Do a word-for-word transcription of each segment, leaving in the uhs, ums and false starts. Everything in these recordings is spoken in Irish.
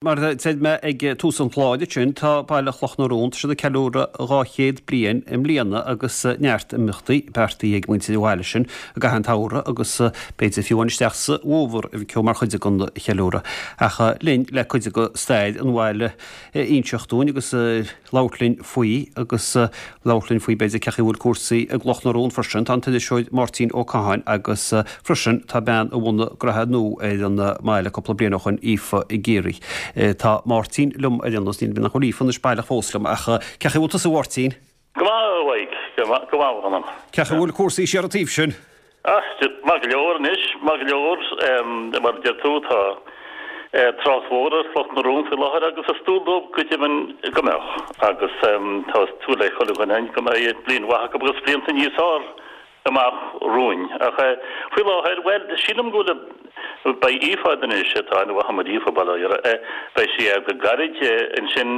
Mar a deir mé ag tús an chláir sin, tá baile Chloch na Rón, tá siad ag ceiliúradh dhá chéad bliain i mbliana agus neart imeachtaí beartaithe ag muintir an bhaile sin i gcaitheamh an tsamhraidh agus b'fhéidir fiú amháin isteach sa bhfómhar a bhí mar chuid den cheiliúradh. Ach linn le cuid de stair an bhaile a inseacht dúinn agus labhairt linn faoi agus labhairt linn faoi b'fhéidir cén chaoi a bhfuil cúrsaí i gCloch na Rón freisin. Tá an t-iriseoir Máirtín Ó Catháin agus freisin tá bean a bhunaigh Gnoithe Nua ar an mbaile cúpla bliain ó shoin, Aoife Geary. Tá Máirtín liom ar aon nós, níl mé nach bhfuil Aoife anois baileach fós liom ach cén chaoi a bhfuil tusa a Mháirtín? Go maith a Mhaidhc, go maith, go maith a mh'anam. Cén chaoi a bhfuil cúrsaí siar an taobh sin? Ah, maith go leor anois, maith go leor. Mar a deir tú, tá trácht mhór ar Chloch na Rón faoi láthair agus is dual dóibh go deimhin go mbeadh. Agus tá súil ag chuile dhuine go mbeidh bliain mhaith acu agus blianta níos fearr amach romhainn. Ach faoi láthair, bhuel, sílim go bhfuil, beidh Aoife a'd anois, tá aithne mhaith a'm ar Aoife, bail ó Dhia uirthi, beidh sí a'd go gairid ansin,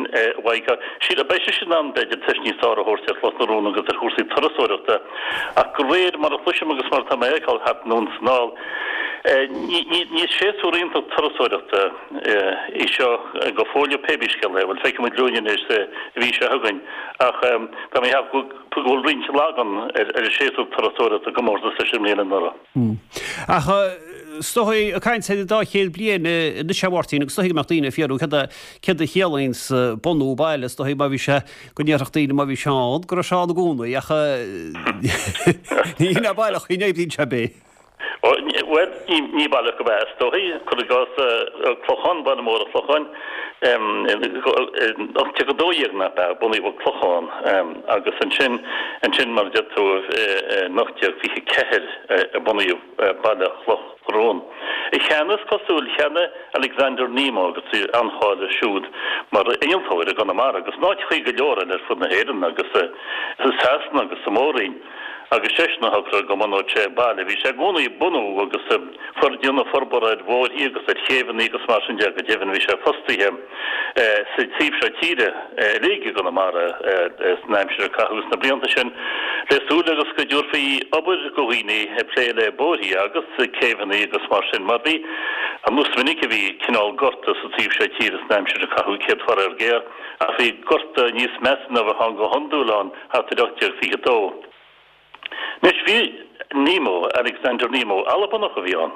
Mhaidhc, sílim, beidh sise in ann, b'fhéidir, tuiscint níos fearr a thabhairt ar Chloch na Rón agus ar chúrsaí turasóireachta. Ach de réir mar a chloisim agus mar atá mé a fheiceáil thart anonn is anall, Ní séasúr iontach turasóireachta í seo go fóill, pé bí scéal é. Bhuel, feicfidh muid linn anois sa mhí seo chugainn, ach tá mé ag ceapadh go bhfuil roinnt lagan ar an séasúr turasóireachta i gcomórtas leis an mbliain anuraidh. Ach is dóigh, ag caint ar an dá chéad bliain anois, a Mháirtín, agus is dóigh go mbeadh daoine ag fiafraí céard a céard a chiallaíonns bunú baile, is dóigh má bhí sé, go ndéarfadh daoine má bhí sé ann, go raibh sé ann i gcónaí, ach ní hin é baileach, ní oibríonn sé ar bith. Bhuel, ní baileach go b'ea, is dóichí. Cuir i gcás, Clochán, baile mór an Chlocháin, in ocht déag a dó dhéag, nach ea, bunaíodh Clochán agus ansin, ansin mar a deir tú, in ocht déag fiche ceathair a bunaíodh baile Chloch na Rón. Cheana, is cosúil, cheana Alexander Nemo agus bhí an-cháil air siúd mar innealtóir i gConamara agus in áiteachaí go leor eile ar fud na hÉireann agus i Sasana agus sa Mhór-Roinn. Agus seisean a shocraigh go mbunódh sé baile. Bhí sé i gcónaí ag bunú agus ag déanamh forbartha ar bhóithrí agus ar chéibheanna agus mar sin de. Go deimhin bhí sé fostaithe sa taobh seo tíre uilig i gConamara san aimsir a caitheadh sna blianta sin le súil agus go dtabharfaí obair do dhaoine ag plé le bóithrí agus céibheanna agus mar sin mar bhí an is minic a bhí cineál gorta sa taobh seo tíre san aimsir a caitheadh céad faraor géar ach bhí gorta níos measa ná a bheadh ann go hiondúil ann thart ar ocht déag fiche dó. Anois, bhí Nemo, Alexander Nemo, Albanach a bhí ann.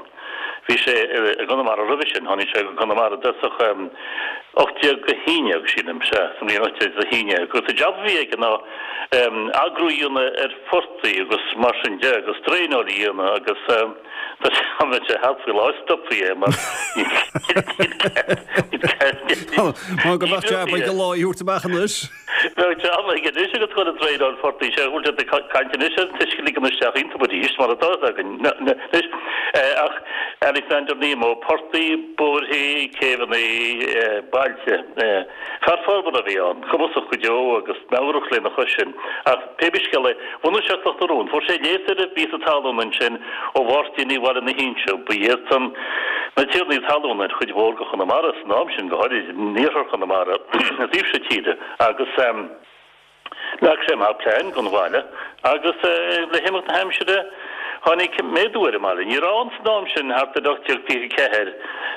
Bhí sé i gConamara roimhe sin, tháinig sé go Conamara i dtosach ocht déag a haon déag, sílim, sea, sa mbliain ocht déag a haon déag. Agus an jab a bhí aige ná eagrú a dhéanamh ar phortaigh agus mar sin de, agus draenáil a dhéanamh agus tá sé dá mbeadh sé thart faoi láthair stopfaí é mar níl cead, Mar go mbeadh jab ag an lá a thabhairt amach anois. Bheadh jab aige anois agus dhul ag draenáil phortaigh. Sea, bhfuil siad ag caint anois ar an t-uisce a ligean isteach iontu arís, mar atá fhios againn anois. Ach Alexander Nemo, portaigh, bóithre, céibheanna, bailte. Fear forbartha a bhí ann, cumasach go deo agus meabhrach lena chois sin. Ach pé bí scéal é, bhunaigh sé Cloch na Rón. Fuair sé léas ar an bpíosa talún ansin ó Mháirtínigh Bhaile na hInse. Ba iadsan na tiarnaí talún ar chuid mhór de Chonamara san am sin, go háirid in iarthar Chonamara, an taobh seo tíre, agus leag sé amach plean don bhaile agus le himeacht na haimsire tháinig méadú ar an mbaile. Ní raibh ann san am sin, thart ar ocht déag fiche ceathair,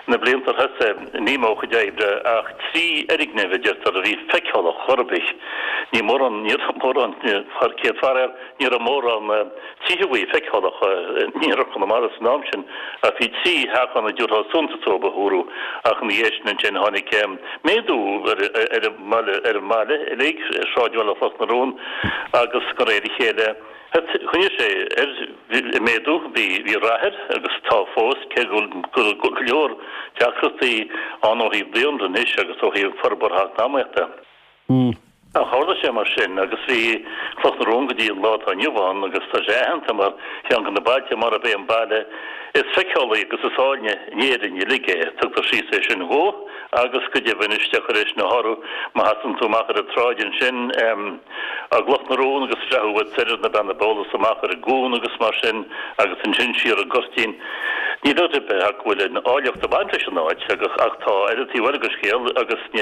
na blianta ar thosaigh Nemo a chuid oibre, ach trí fhoirgneamh, a deirtear, a bhí feiceálach chor ar bith. Ní mórán, ní raibh mórán, céad faraor, ní raibh mórán tithe a bhí feiceálach in iarthar Chonamara san am sin ach bhí trí theach ann a dtabharfá suntas dóibh a dúradh ach ina dhiaidh sin ansin tháinig méadú ar an mbaile ar an mbaile uilig, ar shráidbhaile Chloch na Rón agus de réir a chéile choinnigh sé air ag méadú. Bhí bhí rath air agus tá fós cé go bhfuil go leor deacrachtaí ann ó thaobh daonra anois agus ó thaobh forbartha eacnamaíochta. Ach tharla sé mar sin agus bhí Cloch na Rón go dtí an lá atá inniu ann agus tá sé aitheanta mar cheann de na bailte, marab é an baile is feiceálaí agus is áilne in Éirinn uilig é. Tugtar síos é sin dhó agus go deimhin is deacair é sin a shárú má sheasann tú amach ar an tsráid ansin i gCloch na Rón agus breathnú uait soir ar na Beanna Beola is amach ar an gcuan agus mar sin agus ansin siar an Goirtín. Níl dabht ar bith ach go bhfuil an áilleacht ag baint leis an áit agus ach tá ar an taobh eile den scéal agus ní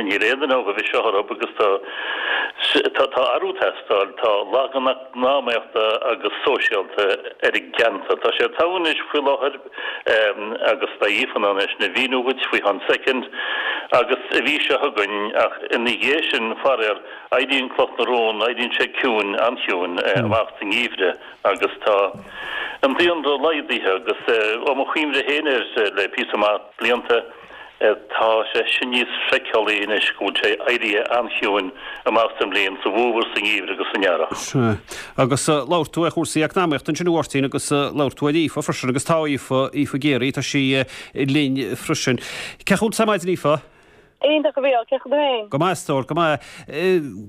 Níl aon duine ó bhí seo orthu agus tá Tá tá athrú ag teastáil, tá lagan eacnamaíochta agus sóisialta ar an gceantar. Tá sé togha anois faoi láthair agus beidh Aoife in ann é sin a mhíniú dhuit faoi cheann soicind agus an mhí seo chugainn ach ina dhiaidh sin faraor éiríonn Cloch na Rón, éiríonn sé ciúin, an-chiúin amach sa ngeimhreadh agus tá an daonra laghdaithe agus ó mo chuimhne féin air le píosa maith blianta tá sé sin níos feiceálaí anois go bhfuil sé éirithe an-chiúin amach sa mbliain, sa bhfómhar, sa ngeimhreadh agus san earrach. Sea. Agus labhair tú ar chúrsaí eacnamaíochta ansin a Mháirtín agus labhair tú ar Aoife freisin agus tá Aoife, Aoife Geary, tá sí linn freisin. Cén chaoi a bhfuil tú ar maidin Aoife? Iontach a Mhícheáil, cén chaoi a bhfuil tú féin? Go maith a stór, go maith.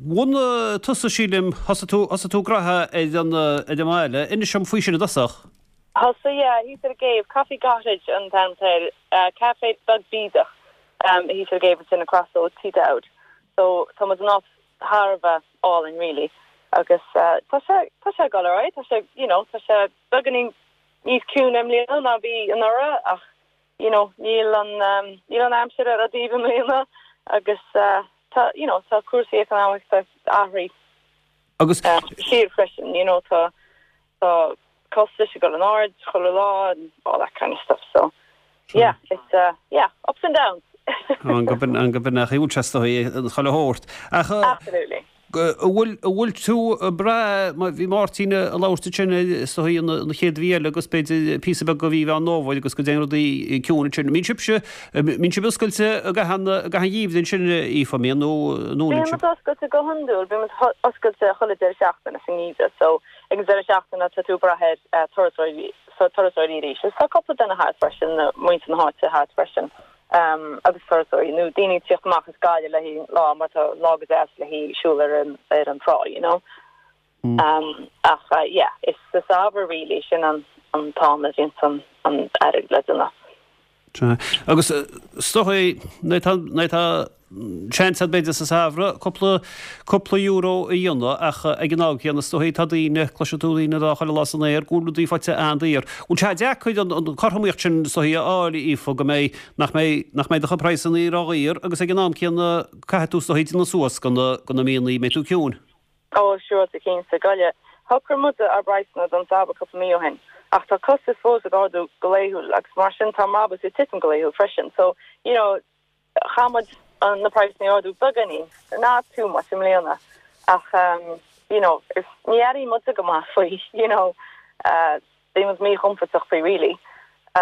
Bhunaigh tusa sílim, thosaigh tú, thosaigh tú graithe ar an, ar an mbaile. Inis dom faoi sin i dtosach. Thosaigh, yeah, thíos ar an gcéibh, Coffee Cottage an t-ainm atá air, caife beag bídeach thíos ar an gcéibh ansin across ó Tí Dowd. So tá muid in áit thar a bheith álainn really agus tá sé, tá sé ag dul ar aghaidh, tá sé, you know, tá sé beagáinín níos ciúine i mbliana ná bhí anuraidh ach you know, níl an níl an aimsir ar ár dtaobh i mbliana agus tá, you know, tá cúrsaí eacnamaíochta athraithe Agus siar freisin, you know, tá tá costais ag dul in airde chuile lá and all that kind of stuff so yeah, it's uh, yeah, ups and downs. An go bin an go bin nach bhfuil sé chuile shórt. Ach Absolutely. bhfuil bhfuil tú breá bhí Máirtín ag labhairt sin is dóigh an chéad mhí eile agus b'fhéidir píosa beag go mhí Mheán Fómhair agus go dtéann rudaí ciúin sin. Mbíonn sibhse mbíonn sibh oscailte gach an gach an gheimhreadh sin Aoife mbíonn nó nó Bíonn muid oscailte go hiondúil, bíonn muid oscailte chuile deireadh seachtaine sa ngeimhreadh, so ag an deireadh seachtaine tá tú ag brath ar turasóirí turasóirí arís. Is tá cúpla duine thart freisin, muintir na háite thart freisin. um, agus turasóirí nó daoine teacht amach as Gaillimh le haghaidh lá mar tá lá go deas le haghaidh siúl ar an ar an trá, you know. Mm. Um, ach uh, yeah, is sa samhradh really sin an an t-am a bhíonn an an airgead le déanamh. Agus is dóigh tá seans b'fhéidir sa samhradh cúpla cúpla euro a dhéanamh ach ag an am céanna is dóigh tá daoine cloiseann tú daoine dá chuile lá san aer go bhfuil rudaí faighte an-daor. Bhfuil sé deacair an an chothromaíocht sin is dóigh a fháil Aoife go mbeidh nach mbeidh nach mbeidh do chuid praghsanna ródhaor agus ag an am céanna caithfidh tú is dóigh déanamh suas go na go na míonna mbeidh tú ciúin. Ó sure tá cinnte goile. Shocraigh muid ár bpraghsanna don samhradh cúpla mí ó shin. Ach tá costas fós ag ardú go laethúil agus mar sin tá brabús ag titim go laethúil freisin. So you know chaith muid an na praghsanna a ardú beagáinín not too much i mbliana ach um, you know is ní airíonn muid go maith faoi you know uh, bíonn muid míchompordach faoi really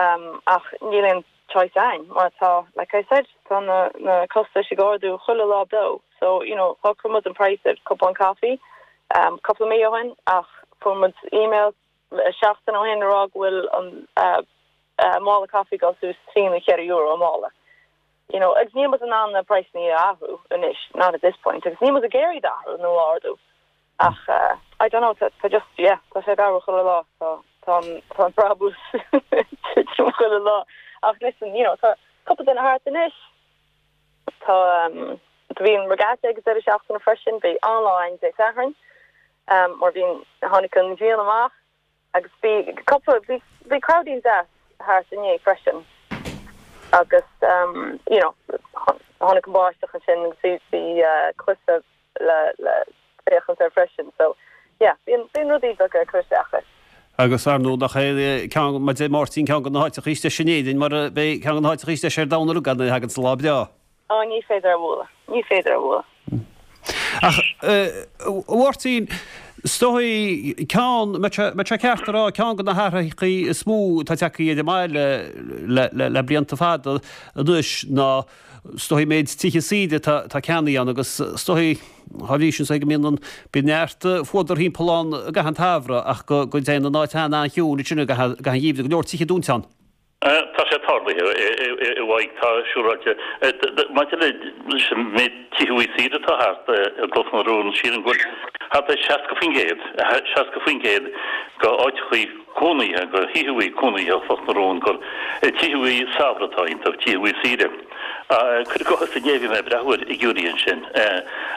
um, ach níl aon choice againn mar tá like I said tá na na costais ag ardú chuile lá beo so you know shocraigh muid an price ar cupán caife um, cúpla mí ó shin ach fuair muid email seachtain ó shin rá go bhfuil an uh, uh, mála caife ag dul suas trí nó ceithre euro an mála. You know, agus níl muid in ann na praghsanna a athrú anois not at this point agus níl muid ag iarraidh athrú nó ardú ach uh, I don't know tá tá just yeah tá sé ag athrú chuile lá tá tá tá brabús chuile lá ach listen you know tá cúpla duine thart anois tá um, bhí an regatta agus deireadh seachtaine freisin bhí an-lá ann Dé Sathairn um, mar bhí tháinig an ghrian amach agus bhí cúpla bhí bhí crowdín deas thart inné freisin agus um, you know tháinig an báisteach ansin agus bhí bhí uh, cluiche le le féachaint air freisin so yeah bíonn bíonn rudaí beaga ag cur isteach. Agus ar ndóigh nach é ceann mar deir Máirtín ceann de na háiteacha is deise in Éirinn mar beidh ceann de na háiteacha is deise ar domhan gan a thagann sa lá breá. Ó ní féidir a bhualadh, ní féidir a bhualadh. Ach Mháirtín is dóigh ceann me sé ceart rá ceann de na hathruithe is mó atá tagtha ar an mbaile le le le blianta fada anois ná is dóigh méid tithe saoire tá ceannaithe ann agus is dóigh thá bhí sin go mbíonn an bíonn neart fuadar timpeall ann gach an tsamhradh ach go go dtéann an áit an-chiúin sin gach an gheimhreadh go leor tithe dúnta ann. Tá sé tarlaithe i bhfaidh tá siúráilte maidir leis an méid tithe saoire atá thart i gCloch na Rón sílim go bhfuil thart ar seasca faoin gcéad seasca faoin gcéad go áiteachaí cónaithe go thithe cónaithe Chloch na Rón gur tithe samhraidh atá iontu tithe saoire. Cuir i gcás inné bhí mé ag breathnú ar fhigiúirí ansin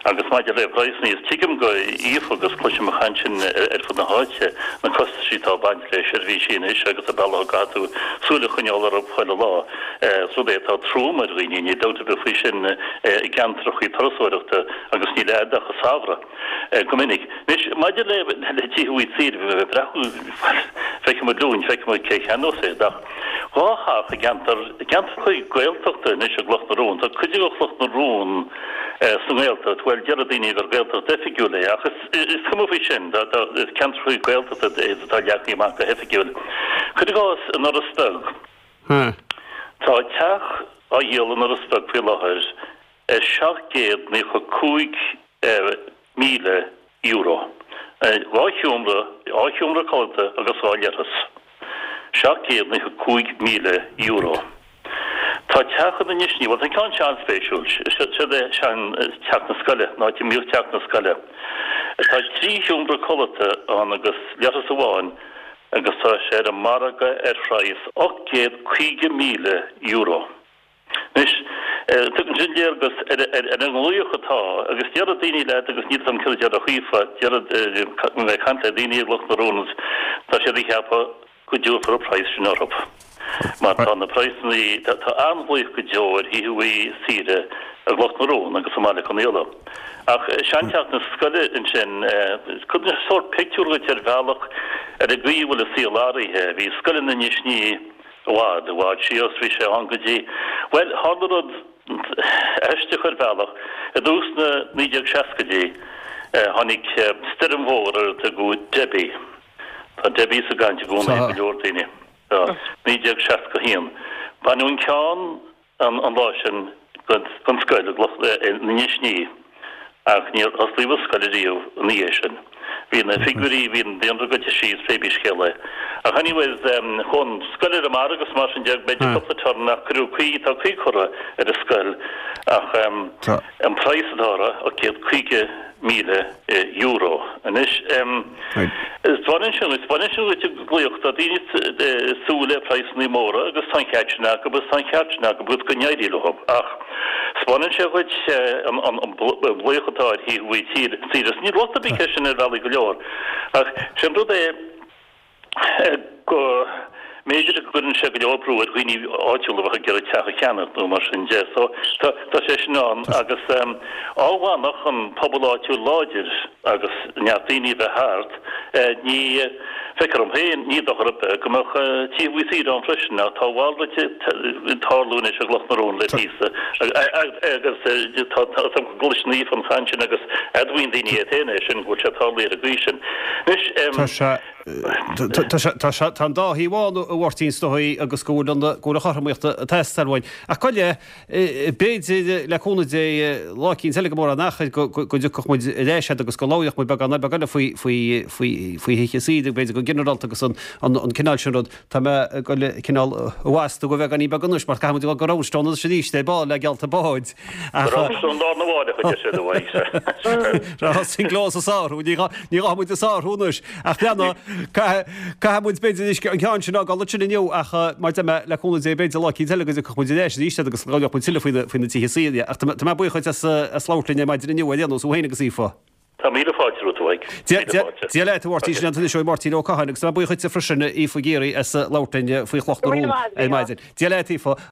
Agus maidir le praghsanna, is tuigim do Aoife agus cloisim an chaint sin ar fud na háite, na costaisí atá ag baint le seirbhísí anois agus an bealach a gcaithfidh tú súil a choinneáil orthu chuile lá. Is rud é atá trom ar dhaoine, níl dabht ar bith faoi sin i gceantracha turasóireachta agus níl agat ach an samhradh go minic. Anois, maidir le tithe saoire, bhí mé ag breathnú, feicfidh muid Luan, feicfidh muid cé a cheannós iad, ach dhá theach i gceantar, ceantracha Gaeltachta anois i gCloch na Rón, tá cuid de Chloch na Rón sa nGaeltacht, bhuel, deir daoine gur Gaeltacht oifigiúil é, ach is cuma faoi sin, is ceantracha Gaeltachta é atá leagtha amach go hoifigiúil. Cuir i gcás, in Iorras Beag, tá teach á dhíol in Iorras Beag faoi láthair ar seacht gcéad naocha cúig míle euro. Dhá sheomra, dhá sheomra codlata agus dhá leithreas. Seacht gcéad naocha cúig míle euro. Tá teach in Inis Ní, bhuel tá an ceann seo an-spéisiúil, siod é sean teach na scoile, an áit a mbíodh teach na scoile. Tá trí sheomra codlata ann agus leithreas amháin agus tá sé ar an margadh ar phraghas ocht gcéad caoga míle euro. Anois, tugann sin léargas ar an nglaoch atá, agus déarfaidh daoine leat, agus níl 'fhios a'm céard a déarfadh Aoife, déarfaidh, mé ag caint le daoine i gCloch na Rón, tá siad ag ceapadh go dtabharfar an praghas sin orthu. Mar tá na praghsanna, tá an-ghlaoch go deo ar thithe saoire i gCloch na Rón agus i mBaile Conaola. Ach seanteach na scoile ansin, tugann sé sórt pictiúr dhuit ar bhealach ar an gcaoi a bhfuil an saol athraithe. Bhí scoil in Inis Ní i bhfad, i bhfad síos, bhí sé ann go dtí, bhuel, tharla rud aisteach ar bhealach, i dtús na naoi déag seascaidí, tháinig stoirm mhór ar a tugadh Debbie. Tá Debbie sa gcaint i gcónaí ag go leor daoine. Tá. naoi déag seasca a haon. Baineadh an ceann an lá sin den scoil in Inis Ní ach níor osclaíodh an scoil ariamh ina dhiaidh sin. Bhí na figiúirí, bhí an daonra goite síos, pé bí scéal é. Ach anyways, chuaigh an scoil ar an margadh agus mar sin de, b'fhéidir cúpla turn ach cuireadh caoi, tá caoi curtha ar an scoil ach an praghas atá uirthi, ocht gcéad caoga míle euro. Anois, baineann sin, baineann sin duit an glaoch, tá daoine ag súil le praghsanna móra agus tá an ceart sin acu agus tá an ceart sin acu agus go n-éirí leo ach spáineann sé dhuit an glaoch atá ar thithe saoire. Níl locht ar bith air sin ar bhealaí go leor ach sé an rud é, go mb'fhéidir go gcuireann sé go leor brú ar dhaoine áitiúla a bheadh ag iarraidh teach a cheannach nó mar sin de. So tá tá sé sin ann agus á bhfanfadh an pobal áitiúil láidir agus neart daoine a bheith thart, ní feictear dom féin, ní dochar ar bith go mbeadh tithe saoire ann freisin ach tá a mhalrait ag tarlú anois i gCloch na Rón le píosa agus tá tá go gcloiseann Aoife an chaint sin agus admhaíonn daoine iad féin é sin go bhfuil sé tarlaithe ar an gcaoi sin. Anois Tá sé Tá an dá thaobh ann, a Mháirtín, is dóigh, agus go bhfuil an go bhfuil an chothromaíocht ag teastáil uainn. Ach gabh i leith, b'fhéidir, le cúnamh Dé, lá eicínt eile go mórán achair go dtiocfadh muid ar ais agat agus go labhródh muid beagán beag eile faoi faoi faoi faoi thithe saoire, b'fhéidir go ginearálta agus an an cineál sin rud. Tá mé ag dul cineál a bhastú go bheagáinín beag anois mar caithfidh muid a dhul go Roundstone anois arís ar ball le geallta báid. Ach. Roundstone lá arna mháireach, a deir siad uaidh. Tá an gleo sa sárú, ní ghabhfaidh muid a sárú anois. Ach leanadh, caithfidh muid b'fhéidir anois an ceann sin a fhágáil ansin inniu ach mar a deir mé, le cúnamh Dé b'fhéidir lá eicínt eile go dtiocfadh muid ar ais arís agus go labhródh muid tuilleadh faoi na tithe saoire. Ach tá mé buíoch duit as labhairt linn ar maidin inniu ar aon nós, thú féin agus Aoife. Tá míle fáilte romhat, a Mhaidhc. Míle fáilte. Dia leat, a Mháirtín, sin an t-iniseoir Máirtín Ó Catháin agus tá mé buíoch duitse freisin, Aoife Geary, as labhairt linn faoi Chloch na Rón ar maidin. Dia leat, Aoife.